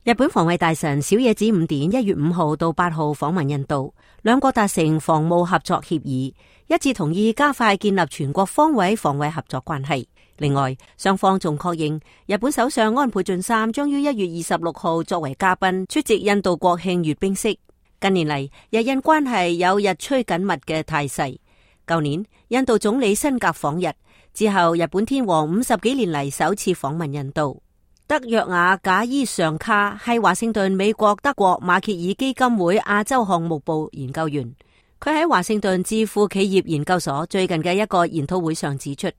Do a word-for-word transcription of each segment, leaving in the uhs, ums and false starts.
日本防衛大臣小野寺五典一月五號到八號訪問印度，兩國達成防務合作協議，一致同意加快建立全國方位防衛合作關係。另外，雙方仲確認日本首相安倍晉三將於一月二十六號作為嘉賓出席印度國慶閱兵式。近年嚟，日印關係有日趨緊密嘅態勢。舊年，印度總理辛格訪日之後，日本天皇五十幾年嚟首次訪問印度。德約瓦賈伊尚卡係華盛頓美國德國馬歇爾基金會亞洲項目部研究員，佢喺華盛頓智庫企業研究所最近嘅一個研討會上指出，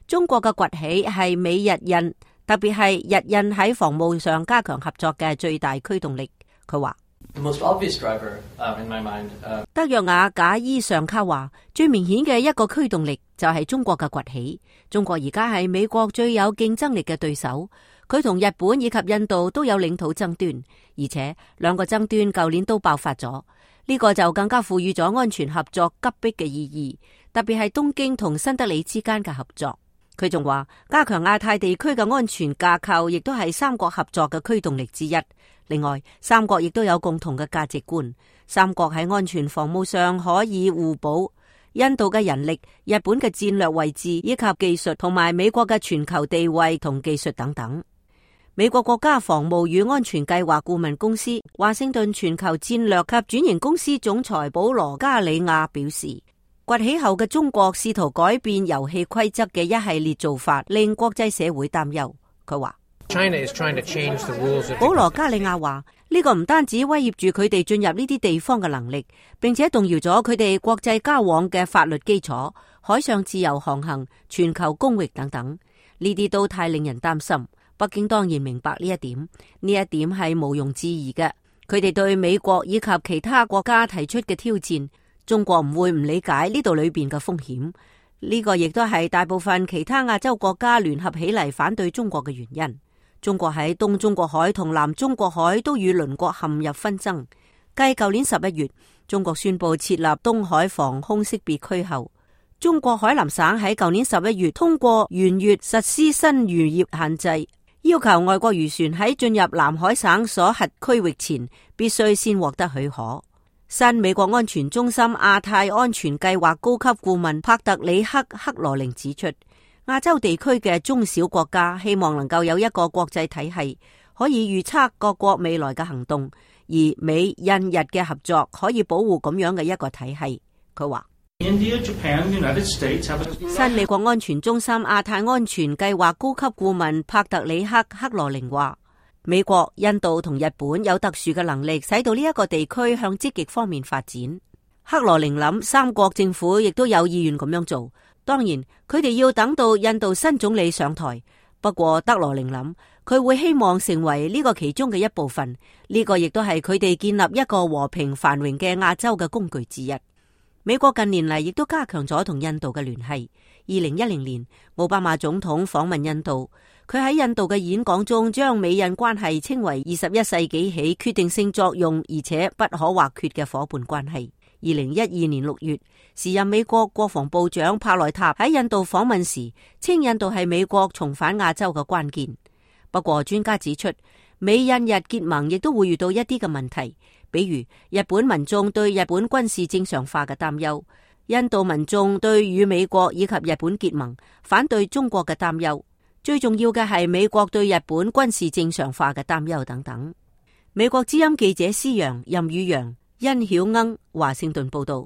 中國嘅崛起係美日印，特別係日印喺防務上加強合作嘅最大驅動力。佢話The most obvious driver, uh, in my mind, uh... 德約瓦賈伊尚卡話，最明顯嘅一個驅動力就係中國嘅崛起。中國而家係美國最有競爭力嘅對手，佢同日本以及印度都有領土爭端，而且兩個爭端舊年都爆發咗。呢個就更加賦予咗安全合作急迫嘅意義，特別係東京同新德里之間嘅合作。佢仲話，加強亞太地區嘅安全架構，亦都係三國合作嘅驅動力之一。另外，三國亦都有共同嘅價值觀，三國喺安全防務上可以互補。印度嘅人力、日本嘅戰略位置以及技術，同埋美國嘅全球地位同技術等等。美國國家防務與安全計劃顧問公司華盛頓全球戰略及轉型公司總裁保羅加里亞表示，崛起後嘅中國試圖改變遊戲規則嘅一系列做法，令國際社會擔憂。佢話保羅加里亞話，呢個唔單止威脅住佢哋進入呢啲地方嘅能力，並且動搖咗佢哋國際交往嘅法律基礎、海上自由航行、全球公域等等，呢啲都太令人擔心。北京當然明白呢一點，呢一點係毋庸置疑嘅。佢哋對美國以及其他國家提出嘅挑戰，中國唔會唔理解呢度裏邊嘅風險。呢個亦都係大部分其他亞洲國家聯合起嚟反對中國嘅原因。中國喺東中國海同南中國海都與鄰國陷入紛爭。繼舊年十一月，中國宣布設立東海防空識別區後，中國海南省喺舊年十一月通過沿越實施新漁業限制，要求外國漁船喺進入南海省所轄區域前，必須先獲得許可。新美國安全中心亞太安全計劃高級顧問帕特里克克羅寧指出，亞洲地區嘅中小國家希望能夠有一個國際體系，可以預測各國未來嘅行動，而美印日嘅合作可以保護咁樣嘅一個體系。佢話India, Japan, United States have a... 新美國安全中心亞太安全計劃高級顧問帕特里克克羅寧話，美國、印度同日本有特殊嘅能力，使到呢一個地區向積極方面發展。克羅寧諗，三國政府亦都有意願咁樣做。當然，佢哋要等到印度新總理上台。不過，德羅寧諗，佢會希望成為呢個其中嘅一部分。呢個亦都係佢哋建立一個和平繁榮嘅亞洲嘅工具之一。美國近年嚟亦都加強咗同印度嘅聯繫。二零一零年，奧巴馬總統訪問印度，佢喺印度嘅演講中將美印關係稱為二十一世紀起決定性作用而且不可或缺嘅夥伴關係。二零一二年六月，時任美國國防部長帕內塔喺印度訪問時，稱印度係美國重返亞洲嘅關鍵。不過專家指出，美印日結盟亦都會遇到一啲嘅問題，比如日本民眾對日本軍事正常化嘅擔憂，印度民眾對與美國以及日本結盟反對中國嘅擔憂，最重要嘅係美國對日本軍事正常化嘅擔憂等等。美國之音記者施陽、任宇陽、殷曉鶯華盛頓報道。